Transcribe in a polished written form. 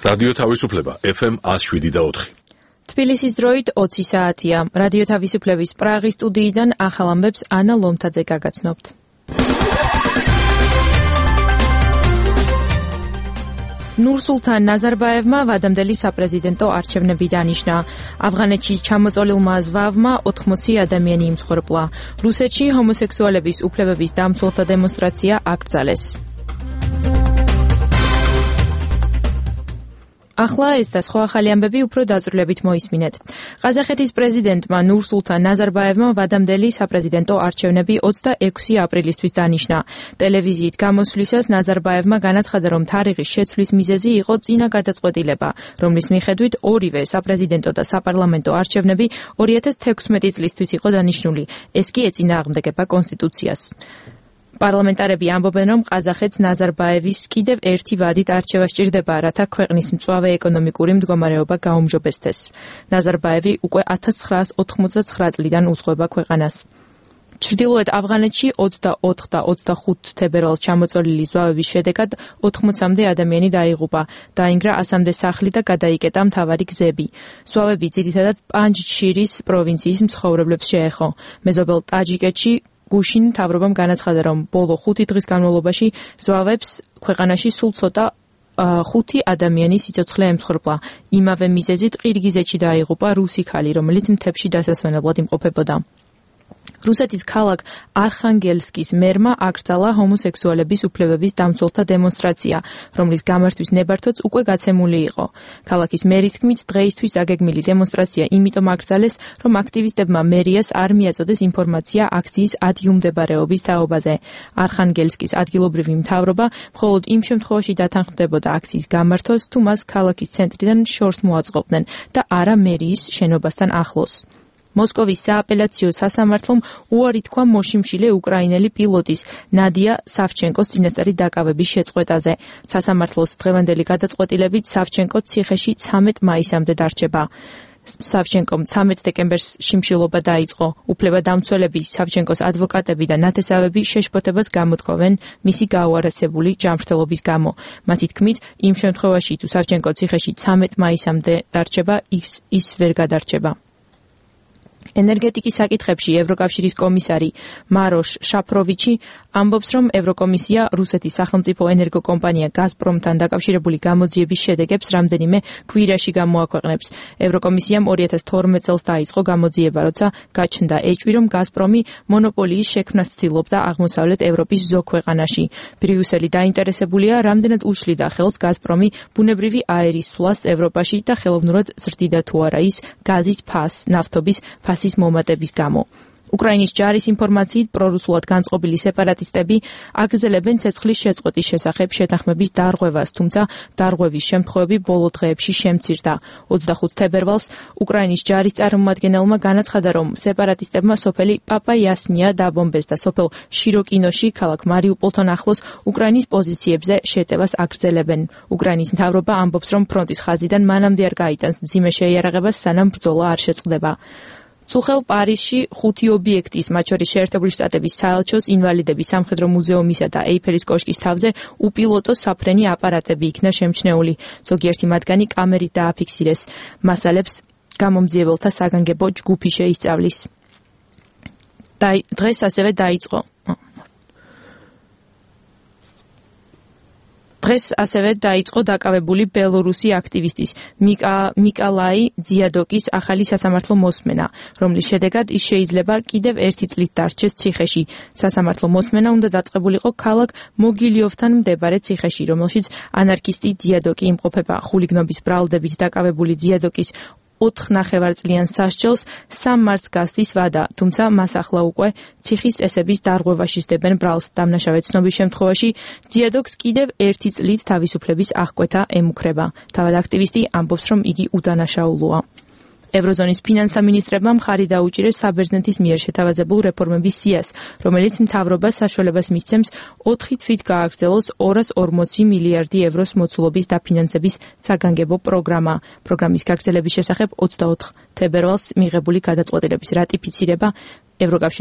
რადიო თავისუფლება FM 107.4. თბილისის დროით 20 საათია. რადიო თავისუფლების პრაღის სტუდიიდან ახალ ამბებს ანა ლომთაძე გაგაცნობთ. ნურსულთან ნაზარბაევმა ვადამდელი საპრეზიდენტო არჩევნები დანიშნა. ავღანეთში ჩამოწოლილმა ზვავმა 80 ადამიანი იმსხვერპლა. რუსეთში ჰომოსექსუალების უფლებების დამცველთა დემონსტრაცია აკრძალეს. ახლა ეს და სხვა ახალი ამბები უფრო დაწვრილებით მოისმინეთ. ყაზახეთის პრეზიდენტმა ნურსულთან ნაზარბაევმა ვადამდელი საპრეზიდენტო არჩევნები 26 აპრილისთვის დანიშნა. ტელევიზიით გამოსვლისას ნაზარბაევმა განაცხადა, რომ თარიღის შეცვლის მიზეზი იყო წინა გადაწყვეტილება, რომლის მიხედვით ორივე საპრეზიდენტო და საპარლამენტო არჩევნები 2016 წლისთვის იყო დანიშნული. ეს კი ეწინააღმდეგება კონსტიტუციას. პარლამენტარები ამბობენ, რომ ყაზახეთს ნაზარბაევის კიდევ ერთი ვადით არჩევა სჭირდება, რათა ქვეყნის მწვავე ეკონომიკური მდგომარეობა გაუმჯობესდეს. ნაზარბაევი უკვე 1989 წლიდან უძღვება ქვეყანას. ჩრდილოეთ ავღანეთში 24 და 25 თებერვალს ჩამოწოლილი ზვავების შედეგად 80-მდე ადამიანი დაიღუპა, დაინგრა 100-მდე სახლი და გადაიკეტა მთავარი გზები. ზვავები ძირითადად პანჯშირის პროვინციის მცხოვრებლებს შეეხო. მეზობელ ტაჯიკეთში გუშინ მთავრობამ განაცხადა, რომ ბოლო 5 დღის განმავლობაში ზვავებს ქვეყანაში სულ ცოტა 5 ადამიანის სიცოცხლე ემსხვერპლა. იმავე მიზეზით ყირგიზეთში დაიღუპა რუსი ქალი, რომელიც მთებში დასასვენებლად იმყოფებოდა. რუსეთის ქალაქ არხანგელსკის მერმა აკრძალა ჰომოსექსუალების უფლებების დამცველთა დემონსტრაცია, რომლის გამართვის ნებართვაც უკვე გაცემული იყო. ქალაქის მერის თქმით, დღეისთვის დაგეგმილი დემონსტრაცია იმიტომ აკრძალეს, რომ აქტივისტებმა მერიას არ მიაწოდეს ინფორმაცია აქციის ადგილმდებარეობის თაობაზე. არხანგელსკის ადგილობრივი მთავრობა მხოლოდ იმ შემთხვევაში დათანხმდებოდა აქციის გამართვას, თუ მას ქალაქის ცენტრიდან შორს მოაწყობდნენ და არა მერიის შენობასთან ახლოს. მოსკოვის სააპელაციო სასამართლომ უარი თქვა მოშიმშილე უკრაინელი პილოტის ნადია სავჩენკოს წინასწარი დაკავების შეწყვეტაზე. სასამართლოს დღევანდელი გადაწყვეტილებით სავჩენკო ციხეში 13 მაისამდე დარჩება. სავჩენკომ 13 დეკემბერს შიმშილობა დაიწყო. უფლებადამცველები, სავჩენკოს ადვოკატები და ნათესავები შეშფოთებას გამოთქვამენ მისი გაუარესებული ჯანმრთელობის გამო. მათი თქმით, იმ შემთხვევაში, თუ სავჩენკო ციხეში 13 მაისამდე დარჩება, ის ვერ გადარჩება. ენერგეტიკის საკითხებში ევროკავშირის კომისარი მაროშ შაფროვიჩი ამბობს, რომ ევროკომისია რუსეთის სახელმწიფო ენერგოკომპანია გაზპრომთან დაკავშირებული გამოძიების შედეგებს რამდენიმე კვირაში გამოაქვეყნებს. ევროკომისიამ 2012 წელს დაიწყო გამოძიება, როცა გაჩნდა ეჭვი, რომ გაზპრომი მონოპოლიის შექმნას ცდილობდა აღმოსავლეთ ევროპის ზოგ ქვეყანაში. ბრიუსელი დაინტერესებულია, რამდენად უშლიდა ხელს გაზპრომი ბუნებრივი აერის სვლას ევროპაში და ხელოვნურად ზრდიდა თუ არა ის გაზის ნავთობის ფასის მომატების გამო. უკრაინის ჯარის ინფორმაციით პრორუსულად განწყობილი სეპარატისტები აგრძელებენ ცეცხლის შეწყვეტის შესახებ შეთანხმების დარღვევას, თუმცა დარღვევის შემთხვევები ბოლო დღეებში შემცირდა. 25 თებერვალს უკრაინის ჯარის წარმომადგენელმა განაცხადა, რომ სეპარატისტებმა სოფელი პაპაიასნია დაბომბეს და სოფელ შიროკინოში, ქალაქ მარიუპოლთან ახლოს უკრაინის პოზიციებზე შეტევას აგრძელებენ. უკრაინის მთავრობა ამბობს, რომ ფრონტის ხაზიდან მანამდე არ გაიტანს მძიმე შეიარაღებას, სანამ ბრძოლა არ შეწყდება. წუხელ პარიზში 5 ობიექტის, მათ შორის შეერთებული შტატების საელჩოს, ინვალიდების სამხედრო მუზეუმისა და ეიფელის კოშკის თავზე უპილოტო საფრენი აპარატები იქნა შემჩნეული. ზოგიერთი მათგანი კამერით დააფიქსირეს. მასალებს გამომძიებელთა საგანგებო ჯგუფი შეისწავლის. დღეს ასევე დაიწყო დაკავებული ბელორუსი აქტივისტის მიკალაი ძიადოკის ახალი სასამართლო მოსმენა, რომლის შედეგად ის შეიძლება კიდევ 1 წლით დარჩეს ციხეში. სასამართლო მოსმენა უნდა დაწყებულიყო ქალაქ მოგილიოვთან მდებარე ციხეში, რომელშიც ანარქისტი ძიადოკი იმყოფება. ხულიგნობის ბრალდებით დაკავებული ძიადოკის 4 ნახევარწლიან სასჯელს 3 მარტს გასდის ვადა, თუმცა მას ახლა უკვე ციხის წესების დარღვევაში სდებენ ბრალს. დამნაშავე ცნობის შემთხვევაში ძიადოკს კიდევ 1 წლით თავისუფლების აღკვეთა ემუქრება. თავად აქტივისტი ამბობს, რომ იგი უდანაშაულოა. ევროზონის ფინანსთა მინისტრებმა მხარი დაუჭირეს საბერძნეთის მიერ შეთავაზებულ რეფორმების სიას, რომელიც მთავრობას საშუალებას მისცემს 4 თვით გააგრძელოს 240 მილიარდი ევროს მოცულობის დაფინანსების საგანგებო პროგრამა. პროგრამის გაგრძელების შესახებ 24 თებერვალს მიღებული გადაწყვეტილების რატიფიცირება ევროკავშირის